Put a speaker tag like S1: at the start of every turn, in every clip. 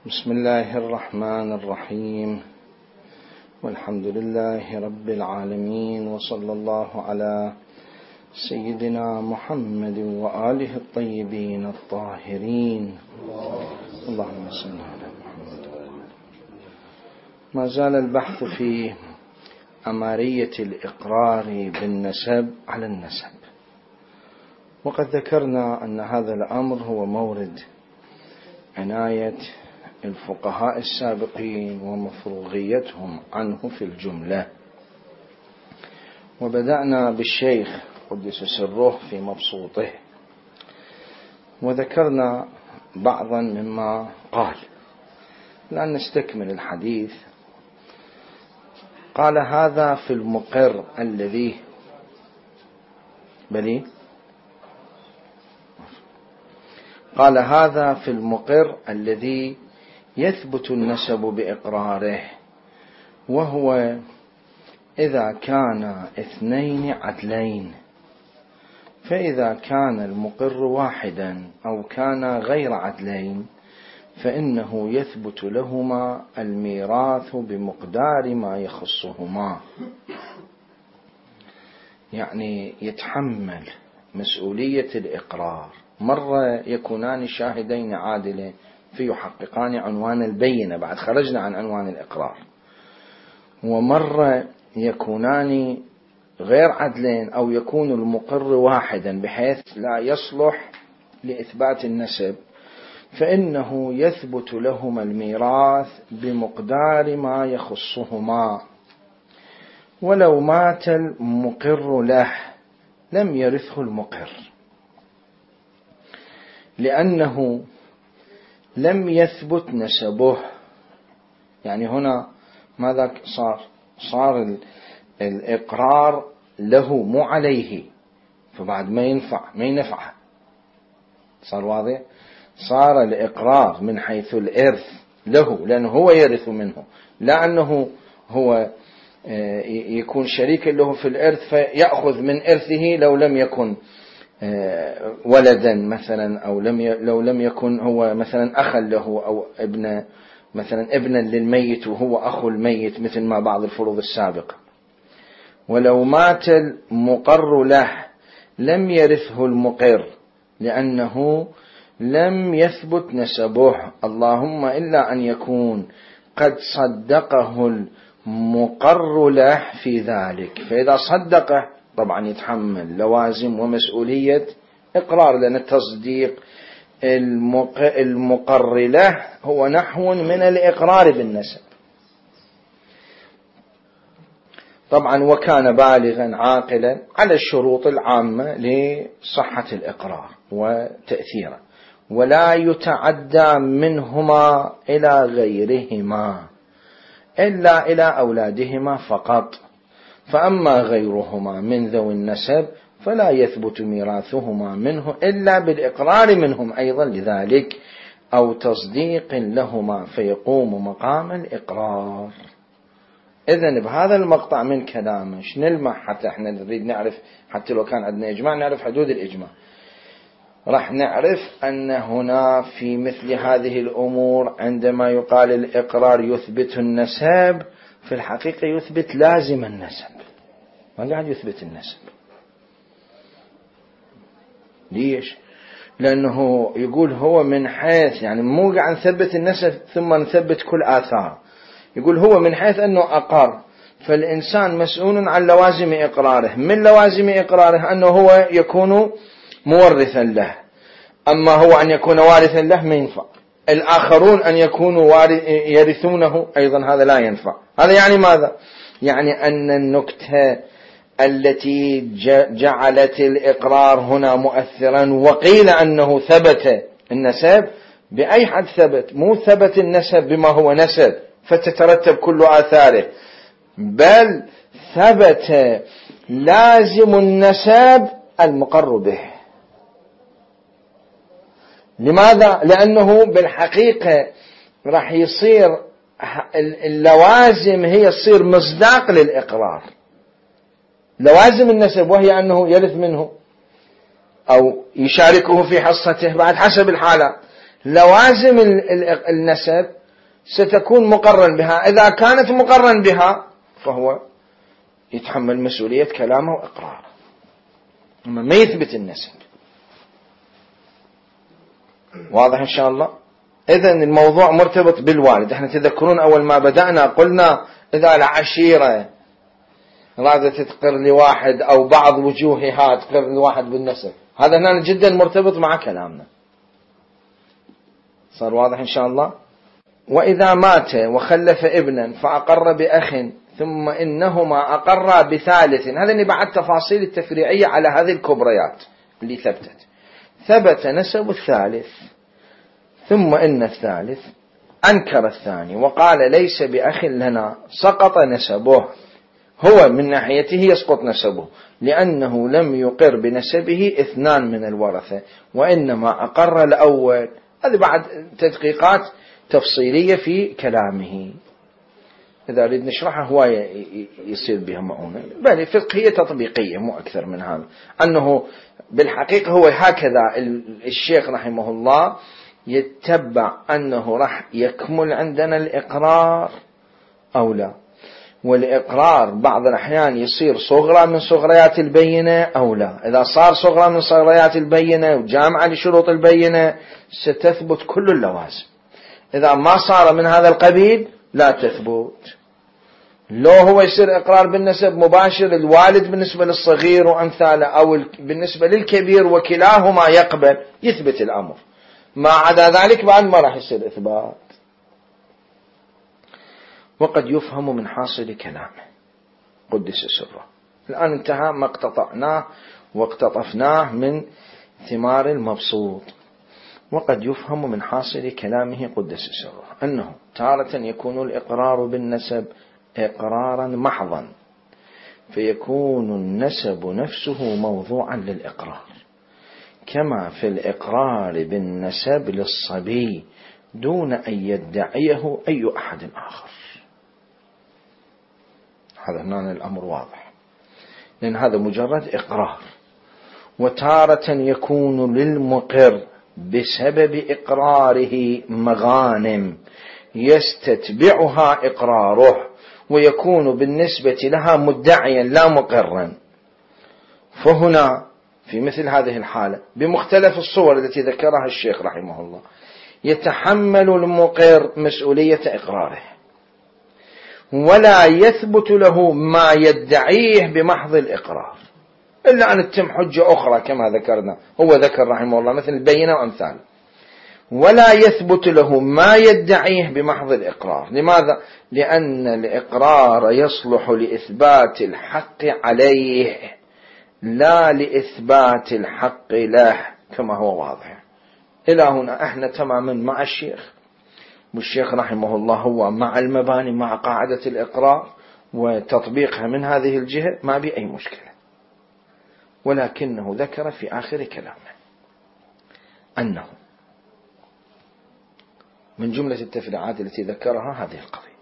S1: بسم الله الرحمن الرحيم، والحمد لله رب العالمين، وصلى الله على سيدنا محمد وآله الطيبين الطاهرين. اللهم صل على محمد. ما زال البحث في أمارية الإقرار بالنسب على النسب، وقد ذكرنا أن هذا الأمر هو مورد عناية الفقهاء السابقين ومفروغيتهم عنه في الجملة. وبدأنا بالشيخ قدس سره في مبسوطه، وذكرنا بعضا مما قال. الآن نستكمل الحديث. قال: هذا في المقر الذي قال: هذا في المقر الذي يثبت النسب بإقراره، وهو إذا كان اثنين عدلين، فإذا كان المقر واحدا أو كان غير عدلين فإنه يثبت لهما الميراث بمقدار ما يخصهما، يعني يتحمل مسؤولية الإقرار. مرة يكونان شاهدين عادلين فيحققان عنوان البينة، بعد خرجنا عن عنوان الإقرار، ومرة يكونان غير عدلين أو يكون المقر واحدا بحيث لا يصلح لإثبات النسب، فإنه يثبت لهما الميراث بمقدار ما يخصهما. ولو مات المقر له لم يرثه المقر، لأنه لم يثبت نسبه. يعني هنا ماذا صار الإقرار له مو عليه، فبعد ما ينفع صار واضح. صار الإقرار من حيث الإرث له، لأنه هو يرث منه، لا أنه هو يكون شريكا له في الإرث فيأخذ من إرثه لو لم يكن ولدا مثلا، أو لو لم يكن هو مثلا أخا له، أو ابنا للميت وهو أخو الميت، مثل ما بعض الفروض السابقة. ولو مات المقر له لم يرثه المقر، لأنه لم يثبت نسبه، اللهم إلا أن يكون قد صدقه المقر له في ذلك، فإذا صدقه طبعا يتحمل لوازم ومسؤولية إقرار، لأن التصديق المقر له هو نحو من الإقرار بالنسب. طبعا وكان بالغا عاقلا على الشروط العامة لصحة الإقرار وتأثيره، ولا يتعدى منهما إلى غيرهما إلا إلى أولادهما فقط. فأما غيرهما من ذوي النسب فلا يثبت ميراثهما منه إلا بالإقرار منهم أيضا لذلك، أو تصديق لهما فيقوم مقام الإقرار. إذن بهذا المقطع من كلامه نلمح، حتى احنا نريد نعرف، حتى لو كان عندنا إجماع نعرف حدود الإجماع، راح نعرف أن هنا في مثل هذه الأمور عندما يقال الإقرار يثبت النسب، في الحقيقة يثبت لازم النسب، ما قاعد يثبت النسب. ليش؟ لأنه يقول هو من حيث، يعني مو قاعد نثبت النسب ثم نثبت كل آثار، يقول هو من حيث أنه أقر، فالإنسان مسؤول عن لوازم إقراره. من لوازم إقراره أنه هو يكون مورثا له، أما هو أن يكون وارثا له ما ينفع. الآخرون أن يكونوا يرثونه أيضا هذا لا ينفع. هذا يعني ماذا؟ يعني أن النكتة التي جعلت الإقرار هنا مؤثرا وقيل أنه ثبت النسب، بأي حد ثبت؟ مو ثبت النسب بما هو نسب فتترتب كل آثاره، بل ثبت لازم النسب المقر به. لماذا؟ لأنه بالحقيقة راح يصير اللوازم هي تصير مصداق للإقرار، لوازم النسب، وهي أنه يرث منه أو يشاركه في حصته بعد حسب الحالة. لوازم النسب ستكون مقرن بها. إذا كانت مقرن بها فهو يتحمل مسؤولية كلامه وإقراره، أما ما يثبت النسب. واضح إن شاء الله؟ إذن الموضوع مرتبط بالوالد. احنا تذكرون أول ما بدأنا قلنا إذا العشيرة رادت تقر لواحد أو بعض وجوهها تقر لواحد بالنسب، هذا هنا جدا مرتبط مع كلامنا. صار واضح إن شاء الله؟ وإذا مات وخلف ابنا فأقر بأخ ثم إنهما أقرا بثالث، هذا اللي بعد تفاصيل التفريعية على هذه الكبريات اللي ثبت نسب الثالث، ثم إن الثالث أنكر الثاني وقال ليس بأخ لنا، سقط نسبه. هو من ناحيته يسقط نسبه لأنه لم يقر بنسبه اثنان من الورثة، وإنما أقر الأول. هذه بعد تدقيقات تفصيلية في كلامه، إذا أريد نشرحها هواية يصير بها معونة، بل فقهية تطبيقية مو أكثر من هذا. أنه بالحقيقة هو هكذا الشيخ رحمه الله يتبع أنه راح يكمل عندنا الإقرار أو لا، والإقرار بعض الأحيان يصير صغرى من صغريات البينة أو لا. إذا صار صغرى من صغريات البينة وجامعة لشروط البينة ستثبت كل اللوازم. إذا ما صار من هذا القبيل لا تثبت. لو هو يصير إقرار بالنسب مباشر الوالد بالنسبة للصغير وأمثاله، أو بالنسبة للكبير وكلاهما يقبل، يثبت الأمر. ما عدا ذلك بعد ما راح يصير إثبات. وقد يفهم من حاصل كلامه قدس سره. الآن انتهى ما اقتطعناه واقتطفناه من ثمار المبسوط. وقد يفهم من حاصل كلامه قدس سره أنه تارة يكون الإقرار بالنسب إقرارا محضا، فيكون النسب نفسه موضوعا للإقرار، كما في الإقرار بالنسب للصبي دون أن يدعيه أي أحد آخر. هذا هنا الأمر واضح، لأن هذا مجرد إقرار. وتارة يكون للمقر بسبب إقراره مغانم يستتبعها إقراره، ويكون بالنسبة لها مدعيا لا مقرا. فهنا في مثل هذه الحالة بمختلف الصور التي ذكرها الشيخ رحمه الله يتحمل المقر مسؤولية إقراره، ولا يثبت له ما يدعيه بمحض الإقرار إلا أن تتم حجة أخرى كما ذكرنا. هو ذكر رحمه الله مثل البينة وأمثال. ولا يثبت له ما يدعيه بمحض الإقرار. لماذا؟ لأن الإقرار يصلح لإثبات الحق عليه لا لإثبات الحق له، كما هو واضح. إلى هنا احنا تماما مع الشيخ، والشيخ رحمه الله هو مع المباني، مع قاعدة الإقرار وتطبيقها من هذه الجهة، ما بي أي مشكلة. ولكنه ذكر في آخر كلامه أنه من جملة التفريعات التي ذكرها هذه القضية،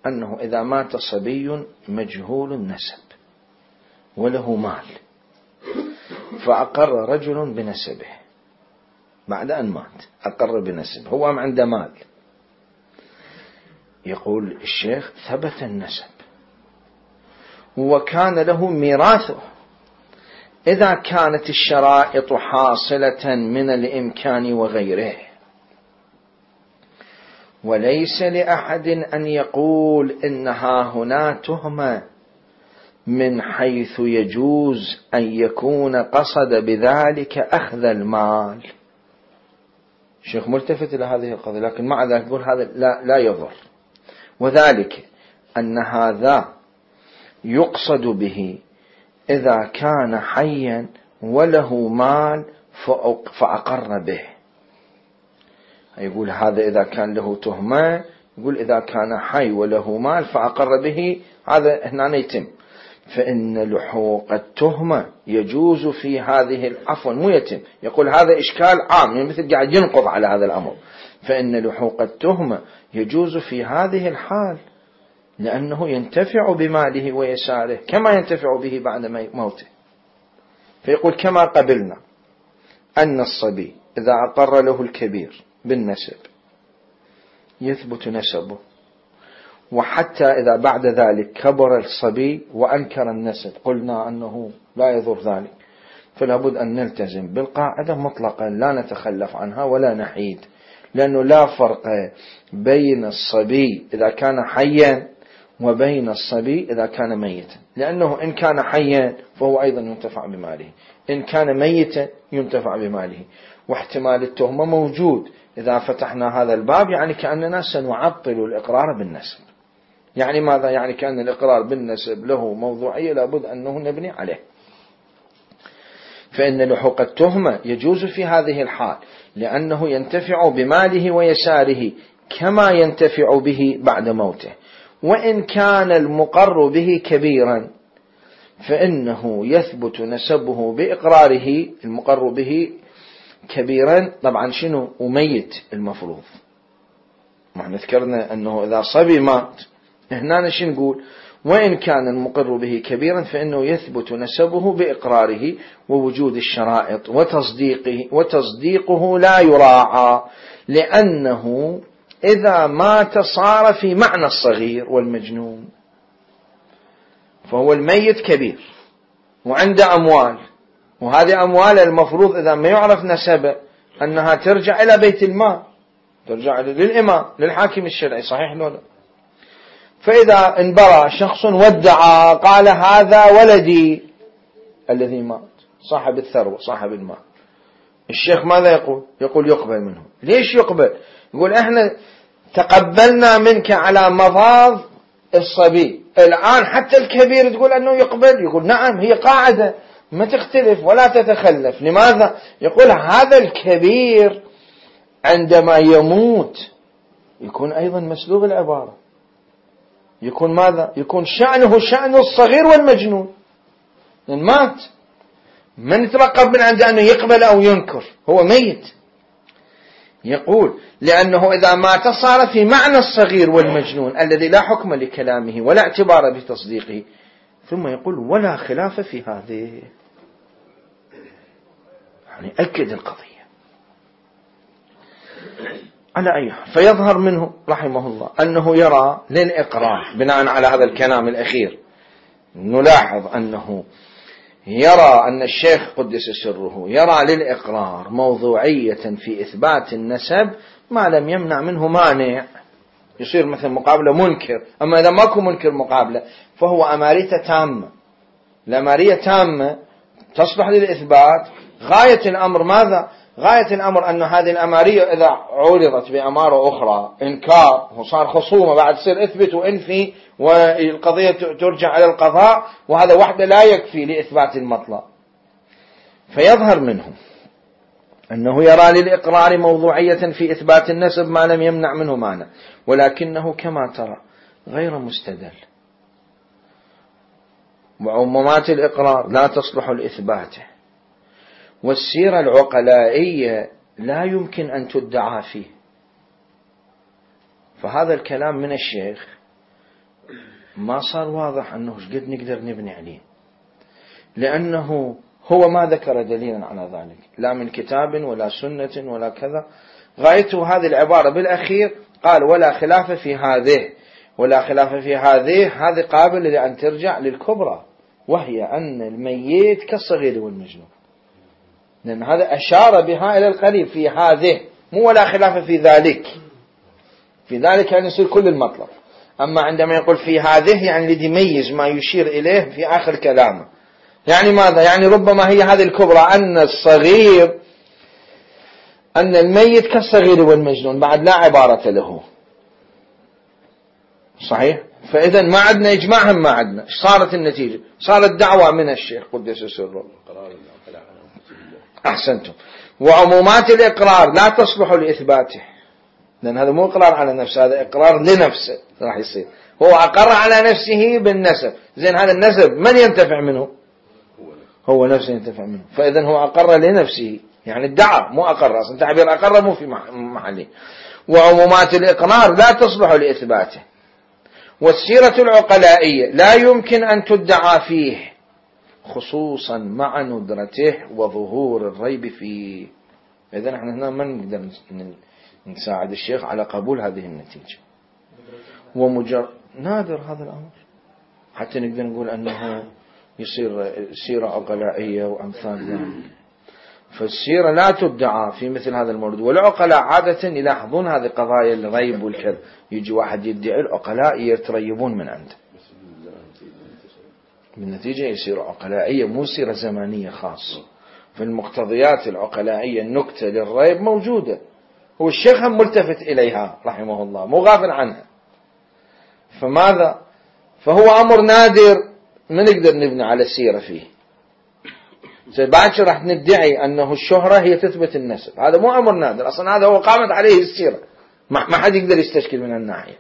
S1: أنه إذا مات صبي مجهول النسب وله مال فأقر رجل بنسبه بعد أن مات، أقر بنسبه، هو عنده مال، يقول الشيخ ثبت النسب وكان له ميراثه إذا كانت الشرائط حاصلة من الإمكان وغيره. وليس لأحد أن يقول إنها هنا تهمة من حيث يجوز أن يكون قصد بذلك أخذ المال. الشيخ ملتفت إلى هذه القضية، لكن مع ذلك يقول هذا لا يضر، وذلك أن هذا يقصد به إذا كان حيا وله مال فأقر به. يقول هذا إذا كان له تهمة، يقول إذا كان حي وله مال فأقر به، هذا هنا يتم. فإن لحوق التهمة يجوز في هذه العفو مو يتم، يقول هذا إشكال عام، يعني مثل قاعد ينقض على هذا الأمر. فإن لحوق التهمة يجوز في هذه الحال لأنه ينتفع بماله ويساره كما ينتفع به بعد موته. فيقول كما قبلنا أن الصبي إذا أقر له الكبير بالنسب يثبت نسبه، وحتى إذا بعد ذلك كبر الصبي وأنكر النسب قلنا أنه لا يضر ذلك، فلا بد أن نلتزم بالقاعدة مطلقا لا نتخلف عنها ولا نحيد، لأنه لا فرق بين الصبي إذا كان حيا وبين الصبي إذا كان ميتا، لأنه إن كان حيا فهو أيضا ينتفع بماله، إن كان ميتا ينتفع بماله، واحتمال التهمة موجود. إذا فتحنا هذا الباب يعني كأننا سنعطل الإقرار بالنسب. يعني ماذا؟ يعني كأن الإقرار بالنسب له موضوعية لابد أنه نبني عليه، فإن لحوق التهمة يجوز في هذه الحال لأنه ينتفع بماله ويساره كما ينتفع به بعد موته. وإن كان المقر به كبيرا فإنه يثبت نسبه بإقراره، المقر به كبيرا طبعا شنو؟ وميت المفروض. ما ذكرنا أنه إذا صبي مات، هنا شو نقول؟ وإن كان المقر به كبيرا فإنه يثبت نسبه بإقراره ووجود الشرائط وتصديقه لا يراعى، لأنه إذا مات صار في معنى الصغير والمجنون، فهو الميت كبير وعنده أموال، وهذه أموال المفروض إذا ما يعرف نسبه أنها ترجع إلى بيت المال، ترجع للإمام للحاكم الشرعي، صحيح ولا لا؟ فإذا انبرى شخص ودعا قال هذا ولدي الذي مات صاحب الثروة صاحب المال، الشيخ ماذا يقول؟ يقول يقبل منه. ليش يقبل؟ يقول احنا تقبلنا منك على مضاض الصبي، الآن حتى الكبير تقول أنه يقبل. يقول نعم، هي قاعدة ما تختلف ولا تتخلف. لماذا؟ يقول هذا الكبير عندما يموت يكون أيضا مسلوب العبارة، يكون ماذا؟ يكون شأنه شأن الصغير والمجنون، لأن مات، من يترقب من عنده أنه يقبل أو ينكر، هو ميت. يقول لأنه إذا مات صار في معنى الصغير والمجنون الذي لا حكم لكلامه ولا اعتبار بتصديقه. ثم يقول ولا خلاف في هذه، يعني أكد القضية على أي حال. فيظهر منه رحمه الله أنه يرى للإقرار بناء على هذا الكلام الأخير، نلاحظ أنه يرى أن الشيخ قدس سره يرى للإقرار موضوعية في إثبات النسب ما لم يمنع منه مانع، يصير مثل مقابلة منكر. أما إذا ماكو منكر مقابلة فهو أمارية تامة، الأمارية تامة تصلح للإثبات. غاية الأمر ماذا؟ غاية الأمر أن هذه الأمارية إذا عورضت بأمارة أخرى إنكار وصار خصومة بعد تصير اثبت وانفي والقضية ترجع على القضاء، وهذا وحده لا يكفي لإثبات المطلب. فيظهر منه أنه يرى للإقرار موضوعية في إثبات النسب ما لم يمنع منه مانع، ولكنه كما ترى غير مستدل، وعمومات الإقرار لا تصلح لإثباته، والسيرة العقلائية لا يمكن أن تدعى فيه. فهذا الكلام من الشيخ ما صار واضح أنه قد نقدر نبني عليه، لأنه هو ما ذكر دليلا على ذلك لا من كتاب ولا سنة ولا كذا. غايته هذه العبارة بالأخير قال ولا خلاف في هذه، ولا خلاف في هذه قابل لأن ترجع للكبرى، وهي أن الميت كالصغير والمجنون، لأن هذا أشار بها إلى القريب في هذه، مو ولا خلاف في ذلك. في ذلك يعني يصير كل المطلب. أما عندما يقول في هذه يعني الذي يميز ما يشير إليه في آخر كلامه. يعني ماذا؟ يعني ربما هي هذه الكبرى أن الصغير، أن الميت كالصغير والمجنون بعد لا عبارة له، صحيح؟ فإذا ما عندنا إجماع، هم ما عندنا. صارت النتيجة؟ صارت دعوة من الشيخ قدس سره. أحسنتم. وعمومات الإقرار لا تصلح لإثباته، لأن هذا مو إقرار على نفسه، هذا إقرار لنفسه راح يصير. هو أقر على نفسه بالنسب، زين هذا النسب من ينتفع منه؟ هو نفسه ينتفع منه. فإذا هو أقر لنفسه، يعني ادعى مو أقر، أصلا تعبير أقر مو في محله. وعمومات الإقرار لا تصلح لإثباته، والسيرة العقلائية لا يمكن أن تدعى فيه، خصوصا مع ندرته وظهور الريب فيه. إذن احنا هنا ما نقدر نساعد الشيخ على قبول هذه النتيجة. نادر هذا الأمر حتى نقدر نقول أنه يصير سيرة عقلائية وأمثال ذلك. فالسيرة لا تدعى في مثل هذا المورد، والعقلاء عادة يلاحظون هذه قضايا الريب والكذب. يجي واحد يدعي، العقلاء يتريبون من عنده، بالنتيجة يصير عقلائية مو سيرة زمانية خاصة. في المقتضيات العقلائية النكتة للريب موجودة، هو الشيخ هم ملتفت إليها رحمه الله، مو غافل عنها. فماذا؟ فهو أمر نادر ما نقدر نبني على السيرة فيه. بعد شو راح ندعي أنه الشهرة هي تثبت النسب، هذا مو أمر نادر أصلا، هذا هو قامت عليه السيرة، ما حد يقدر يستشكل من الناحية.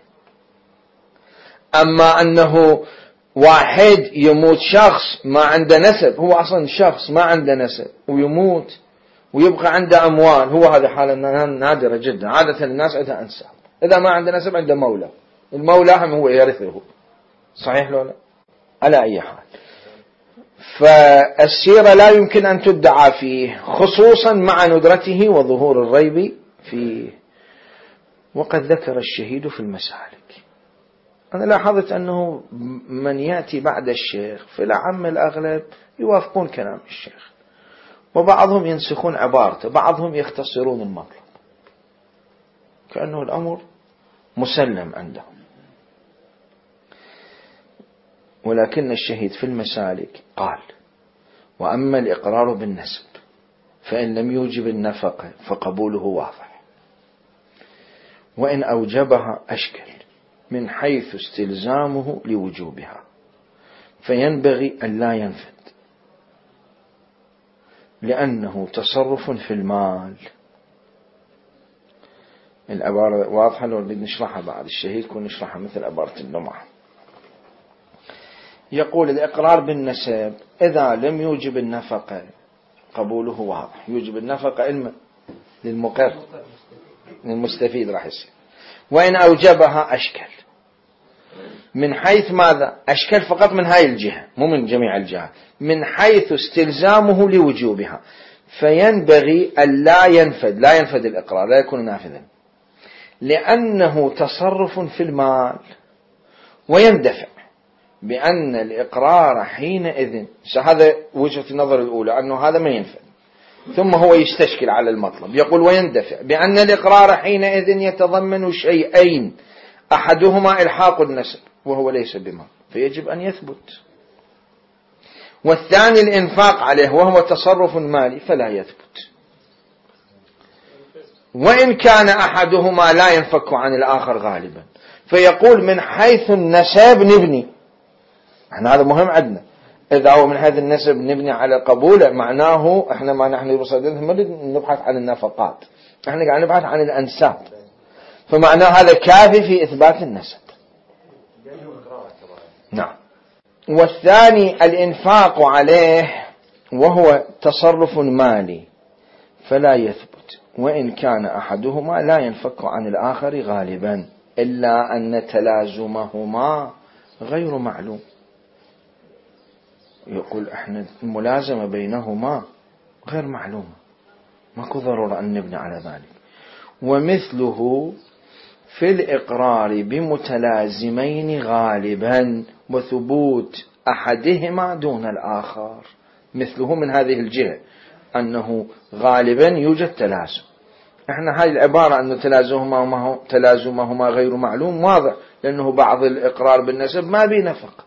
S1: أما أنه واحد يموت شخص ما عنده نسب، هو أصلا شخص ما عنده نسب ويموت ويبقى عنده أموال، هو هذا حالة نادرة جدا. عادة الناس عندها أنساب، إذا ما عنده نسب عنده مولى، المولى هم هو يرثه، صحيح لو لا؟ على أي حال، فالسيرة لا يمكن أن تدعى فيه، خصوصا مع ندرته وظهور الريب فيه. وقد ذكر الشهيد في المسالك. أنا لاحظت أنه من يأتي بعد الشيخ في العام الأغلب يوافقون كلام الشيخ، وبعضهم ينسخون عبارته، بعضهم يختصرون المطلب، كأنه الأمر مسلم عندهم. ولكن الشهيد في المسالك قال: وأما الإقرار بالنسب فإن لم يوجب النفقة فقبوله واضح، وإن أوجبها أشكل من حيث استلزامه لوجوبها، فينبغي أن لا ينفد لأنه تصرف في المال. العبارة واضحة، لو بدنا نشرحها بعد الشهيد كون نشرحها مثل عبارة اللمعة. يقول: الإقرار بالنسب إذا لم يوجب النفقة قبوله واضح. يوجب النفقة علما للمقر للمستفيد راح يصير. وإن أوجبها أشكل من حيث ماذا؟ أشكل فقط من هاي الجهة مو من جميع الجهات، من حيث استلزامه لوجوبها، فينبغي أن لا ينفد الإقرار، لا يكون نافذا، لأنه تصرف في المال، ويندفع بأن الإقرار حينئذ. هذا وجهة النظر الأولى، أنه هذا ما ينفع. ثم هو يستشكل على المطلب، يقول: ويندفع بأن الإقرار حينئذ يتضمن شيئين، أحدهما إلحاق النسب وهو ليس بما، فيجب أن يثبت، والثاني الإنفاق عليه وهو تصرف مالي فلا يثبت. وإن كان أحدهما لا ينفك عن الآخر غالبا، فيقول من حيث النسب نبني. احنا هذا مهم عندنا، إذا هو من حيث النسب نبني على قبوله، معناه احنا ما نحن بصددنا ما نبحث عن النفقات، احنا قاعد نبحث عن الأنساب، فمعناه هذا كافي في إثبات النسب. نعم. والثاني الإنفاق عليه وهو تصرف مالي فلا يثبت، وإن كان أحدهما لا ينفك عن الآخر غالبا، إلا أن تلازمهما غير معلوم. يقول احنا الملازمة بينهما غير معلومة، ماكو ضرورة أن نبني على ذلك. ومثله في الإقرار بمتلازمين غالبا وثبوت أحدهما دون الآخر. مثله من هذه الجهة أنه غالبا يوجد تلازم. احنا هذه العبارة أنه تلازمهما غير معلوم واضح، لأنه بعض الإقرار بالنسب ما بي نفق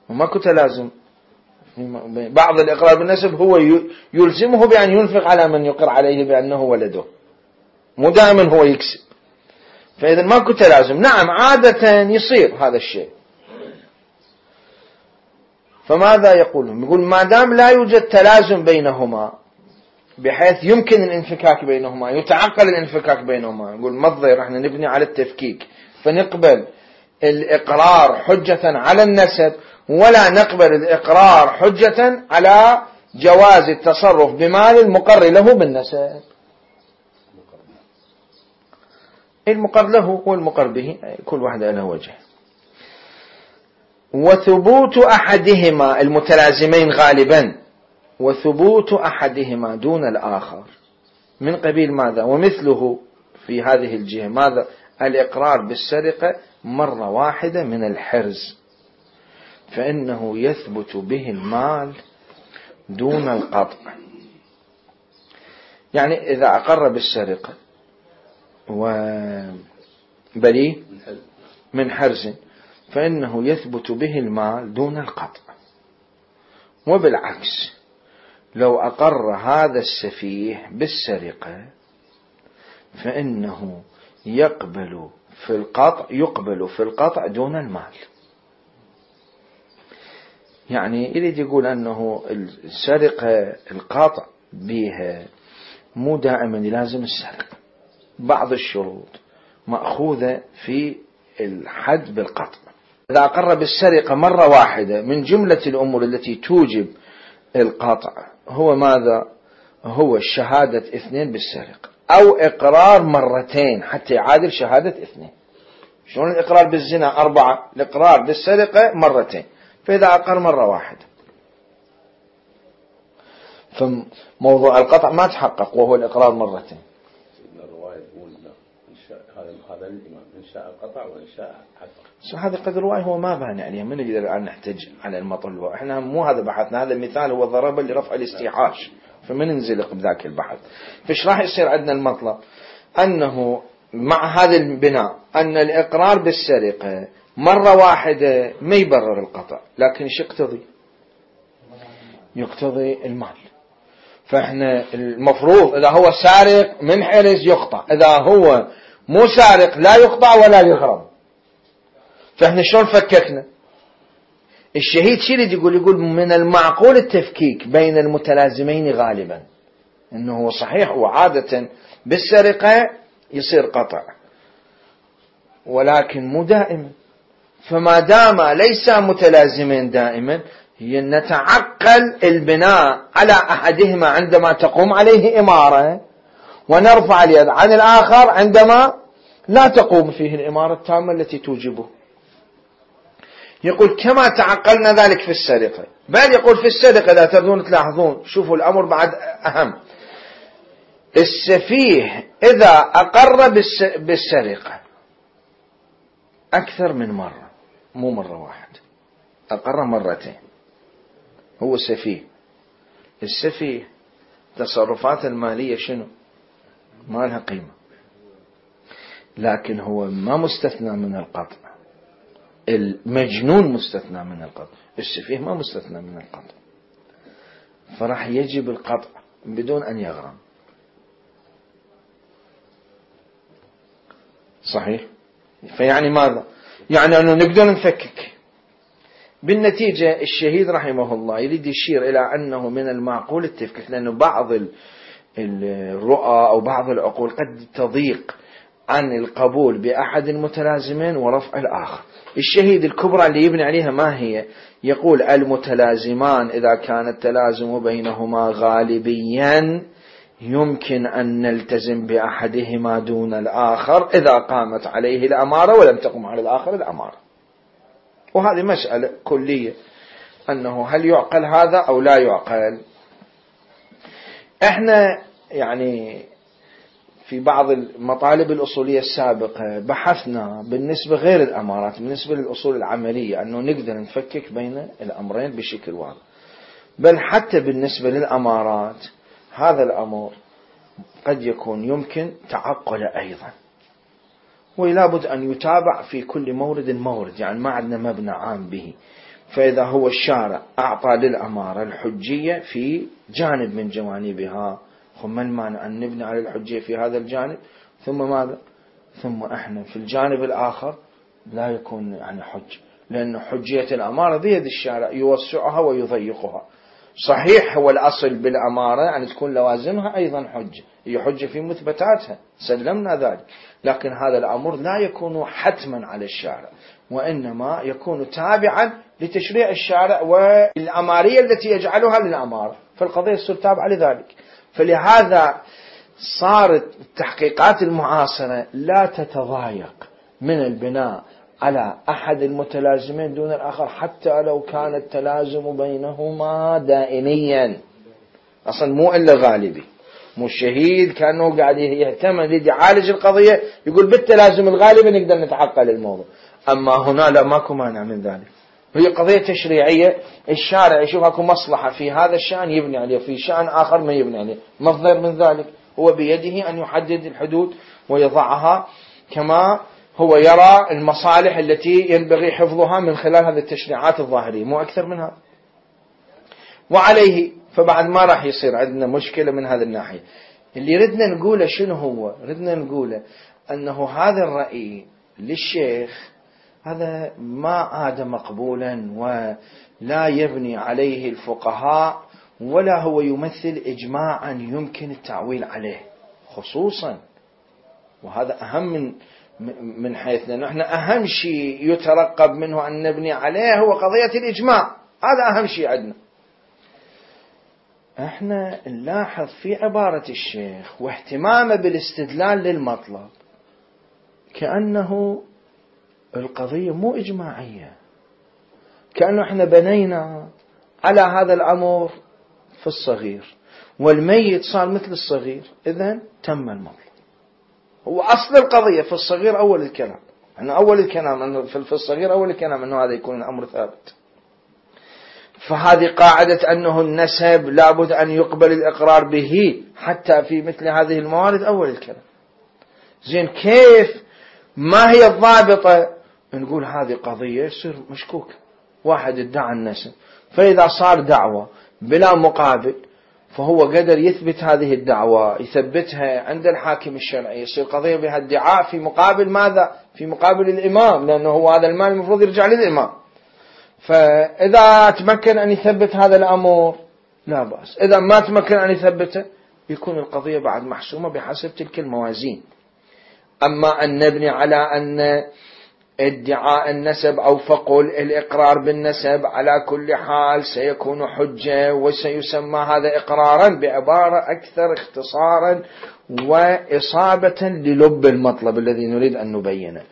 S1: وماكو تلازم. بعض الإقرار بالنسب هو يلزمه بأن ينفق على من يقر عليه بأنه ولده، مو دائما هو يكسب، فإذا ماكو تلازم. نعم عادة يصير هذا الشيء. فماذا يقولون؟ يقول ما دام لا يوجد تلازم بينهما بحيث يمكن الانفكاك بينهما، يتعقل الانفكاك بينهما، يقول ما الضير احنا نبني على التفكيك، فنقبل الإقرار حجة على النسب، ولا نقبل الإقرار حجة على جواز التصرف بمال المقر له بالنسب. المقر له والمقر به كل واحد له وجه. وثبوت أحدهما المتلازمين غالبا، وثبوت أحدهما دون الآخر من قبيل ماذا؟ ومثله في هذه الجهة. ماذا؟ الإقرار بالسرقة مرة واحدة من الحرز، فإنه يثبت به المال دون القطع. يعني إذا أقر بالسرقة وبريء من حرز فإنه يثبت به المال دون القطع. وبالعكس لو أقر هذا السفيه بالسرقة فإنه يقبل في القطع دون المال. يعني يريد يقول أنه السرقة القطع بها مو دائما لازم السرقة، بعض الشروط مأخوذة في الحد بالقطع. إذا أقر بالسرقة مرة واحدة من جملة الأمور التي توجب القطع هو ماذا؟ هو شهادة 2 بالسرقة، أو إقرار مرتين حتى يعادل شهادة 2. شلون الإقرار بالزنا 4، الإقرار بالسرقة مرتين، فإذا أقر مرة واحدة فموضوع القطع ما تحقق وهو الإقرار مرتين.
S2: الرواية تقول هذا الإمام إن شاء قطع وإن شاء حقق.
S1: هذا قد الرواية هو ما بان عليه، من نقدر الآن نحتج على المطل، إحنا مو هذا بحثنا، هذا المثال هو ضرب لرفع الاستيحاش، فمن ننزلق بذاك البحث. فإيش راح يصير عندنا المطلب؟ أنه مع هذا البناء أن الإقرار بالسرقة مرة واحدة ما يبرر القطع، لكن إيش يقتضي المال. فإحنا المفروض إذا هو سارق من حرز يقطع، إذا هو مو سارق لا يقطع ولا يهرم. فإحنا شلون فككنا؟ الشهيد شي اللي يقول من المعقول التفكيك بين المتلازمين غالبا، إنه هو صحيح وعادة بالسرقة يصير قطع ولكن مو دائما، فما دام ليس متلازمين دائما نتعقل البناء على أحدهما عندما تقوم عليه إمارة، ونرفع اليد عن الآخر عندما لا تقوم فيه الإمارة التامة التي توجبه. يقول كما تعقلنا ذلك في السرقة، بل يقول في السرقة إذا تردون تلاحظون، شوفوا الأمر بعد أهم. السفيه إذا أقر بالسرقة أكثر من مرة، مو مرة واحدة، أقر مرتين، هو سفيه. السفيه تصرفات المالية شنو؟ ما لها قيمة، لكن هو ما مستثنى من القطع. المجنون مستثنى من القطع، السفيه ما مستثنى من القطع، فراح يجب القطع بدون أن يغرم. صحيح؟ فيعني ماذا؟ يعني أنه نقدر نفكك. بالنتيجة الشهيد رحمه الله يريد يشير إلى أنه من المعقول التفكيك، لأنه بعض الرؤى أو بعض العقول قد تضيق عن القبول بأحد المتلازمين ورفع الآخر. الشهيد الكبرى اللي يبني عليها ما هي؟ يقول المتلازمان إذا كان التلازم بينهما غالبيا يمكن أن نلتزم بأحدهما دون الآخر إذا قامت عليه الأمارة ولم تقم على الآخر الأمارة. وهذه مسألة كلية، أنه هل يعقل هذا أو لا يعقل. احنا يعني في بعض المطالب الأصولية السابقة بحثنا بالنسبة غير الأمارات، بالنسبة للأصول العملية، أنه نقدر نفكك بين الأمرين بشكل واضح. بل حتى بالنسبة للأمارات هذا الأمر قد يكون يمكن تعقل أيضا، ولا بد أن يتابع في كل مورد، يعني ما عندنا مبنى عام به. فإذا هو الشارع أعطى للأمارة الحجية في جانب من جوانبها، ما المانع أن نبني على الحجية في هذا الجانب، ثم ماذا؟ ثم احنا في الجانب الآخر لا يكون يعني حج، لأن حجية الأمارة بيد الشارع يوسعها ويضيقها. صحيح هو الأصل بالأمارة يعني تكون لوازمها أيضا حجة، هي حجة في مثبتاتها، سلمنا ذلك، لكن هذا الأمر لا يكون حتما على الشارع، وإنما يكون تابعا لتشريع الشارع والأمارية التي يجعلها للأمارة، فالقضية تصير تابعة لذلك. فلهذا صارت التحقيقات المعاصرة لا تتضايق من البناء على أحد المتلازمين دون الآخر، حتى لو كان التلازم بينهما دائميا، أصلا مو إلا غالبي. مو الشهيد كأنه قاعد يهتم يريد يعالج القضية، يقول بالتلازم الغالبي نقدر نتعقل الموضوع. أما هنا لا، ماكو مانع من ذلك، هي قضية تشريعية، الشارع يشوف اكو مصلحة في هذا الشأن يبني عليه، في شأن آخر ما يبني عليه، مصدر من ذلك هو بيده أن يحدد الحدود ويضعها كما هو يرى المصالح التي ينبغي حفظها من خلال هذه التشريعات الظاهرية، مو أكثر من هذا. وعليه فبعد ما راح يصير عندنا مشكلة من هذه الناحية. اللي ردنا نقوله شنو هو؟ ردنا نقوله أنه هذا الرأي للشيخ هذا ما عاد مقبولا، ولا يبني عليه الفقهاء، ولا هو يمثل إجماعا يمكن التعويل عليه خصوصا. وهذا أهم من حيثنا نحن، أهم شيء يترقب منه أن نبني عليه هو قضية الإجماع، هذا أهم شيء عندنا. احنا نلاحظ في عبارة الشيخ واهتمامه بالاستدلال للمطلب كأنه القضية مو إجماعية، كأنه احنا بنينا على هذا الأمر في الصغير والميت صار مثل الصغير، إذن تم المطلب. هو أصل القضية في الصغير أول الكلام، أنه أول الكلام أنه في الصغير أول الكلام أنه هذا يكون الأمر ثابت. فهذه قاعدة أنه النسب لابد أن يقبل الإقرار به حتى في مثل هذه الموارد أول الكلام. زين كيف ما هي الضابطة؟ نقول هذه قضية يصير مشكوك، واحد ادعى النسب، فإذا صار دعوة بلا مقابل فهو قدر يثبت هذه الدعوة، يثبتها عند الحاكم الشرعي، يصير قضية بها ادعاء في مقابل ماذا؟ في مقابل الإمام، لأنه هو هذا المال المفروض يرجع للإمام. فإذا تمكن أن يثبت هذا الأمر لا بأس، إذا ما تمكن أن يثبته يكون القضية بعد محسومة بحسب تلك الموازين. أما أن نبني على أن ادعاء النسب أو فقل الإقرار بالنسب على كل حال سيكون حجة وسيسمى هذا إقرارا بعبارة أكثر اختصارا وإصابة للب المطلب الذي نريد أن نبينه.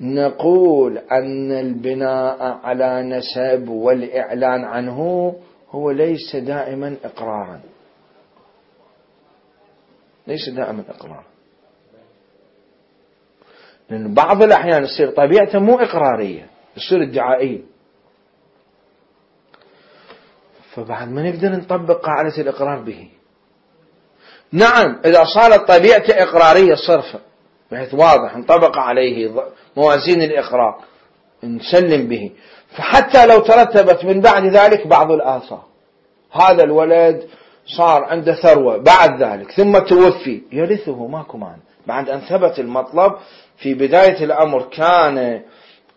S1: نقول أن البناء على نسب والإعلان عنه هو ليس دائما إقرارا، ليس دائما إقرارا، لأن بعض الأحيان يصير طبيعته مو إقرارية، يصير ادعائية، فبعد ما نقدر نطبق قاعدة الإقرار به. نعم إذا صارت طبيعته إقرارية صرفة بحيث واضح نطبق عليه موازين الإقرار نسلم به، فحتى لو ترتبت من بعد ذلك بعض الآثار، هذا الولد صار عنده ثروة بعد ذلك ثم توفي، يرثه ماكو معنى، بعد أن ثبت المطلب في بداية الأمر كان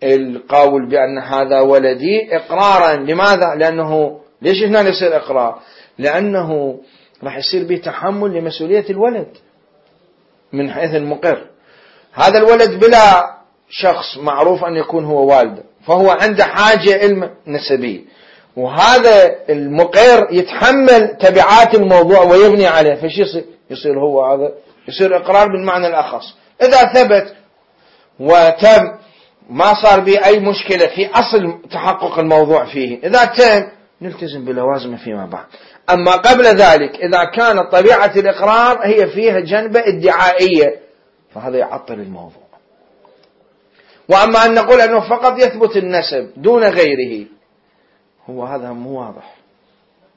S1: القول بأن هذا ولدي إقرارا. لماذا؟ لأنه ليش هنا يصير إقرار؟ لأنه راح يصير به تحمل لمسؤولية الولد من حيث المقر. هذا الولد بلا شخص معروف أن يكون هو والده، فهو عنده حاجة علم نسبية، وهذا المقر يتحمل تبعات الموضوع ويبني عليه، فش يصير هو هذا يصير إقرار بالمعنى الأخص. إذا ثبت وتم ما صار به أي مشكلة في أصل تحقق الموضوع فيه، إذا تم نلتزم بلوازمه فيما بعد. أما قبل ذلك إذا كانت طبيعة الإقرار هي فيها جنبة ادعائية فهذا يعطل الموضوع. وأما أن نقول أنه فقط يثبت النسب دون غيره، هو هذا مو واضح،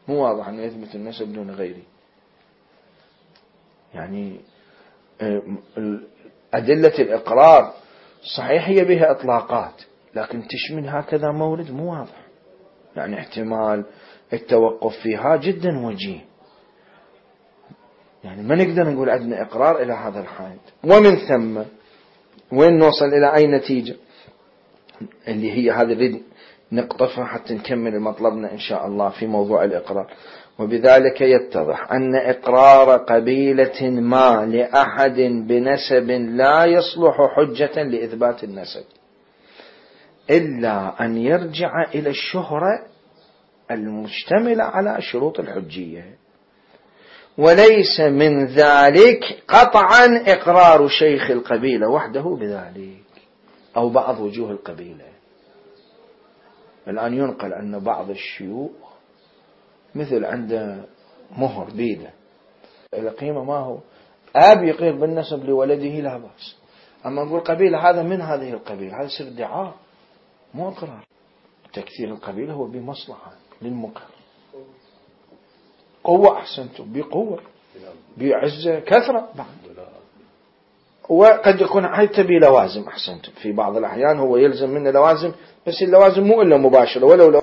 S1: مو واضح أنه يثبت النسب دون غيره. يعني أدلة الإقرار صحيح هي بها إطلاقات، لكن تشمل هكذا مورد مو واضح، يعني احتمال التوقف فيها جدا وجيه. يعني ما نقدر نقول عندنا إقرار إلى هذا الحد. ومن ثم وين نوصل إلى أي نتيجة اللي هي هذه اللي نقطفها حتى نكمل مطلبنا إن شاء الله في موضوع الإقرار. وبذلك يتضح أن إقرار قبيلة ما لأحد بنسب لا يصلح حجة لإثبات النسب إلا أن يرجع إلى الشهرة المشتملة على شروط الحجية، وليس من ذلك قطعا إقرار شيخ القبيلة وحده بذلك أو بعض وجوه القبيلة. الآن ينقل أن بعض الشيوخ مثل عنده مهر بيده القيمة ما هو أب يقير بالنسب لولده لا بأس. أما نقول قبيلة هذا من هذه القبيلة، هذا يصير ادعاء مو إقرار. تكثير القبيلة هو بمصلحة للمقر، قوة أحسنتم، بقوة بعزة كثرة بعد. وقد يكون حتى بلوازم أحسنتم، في بعض الأحيان هو يلزم منه لوازم، بس اللوازم مو إلا مباشرة، ولو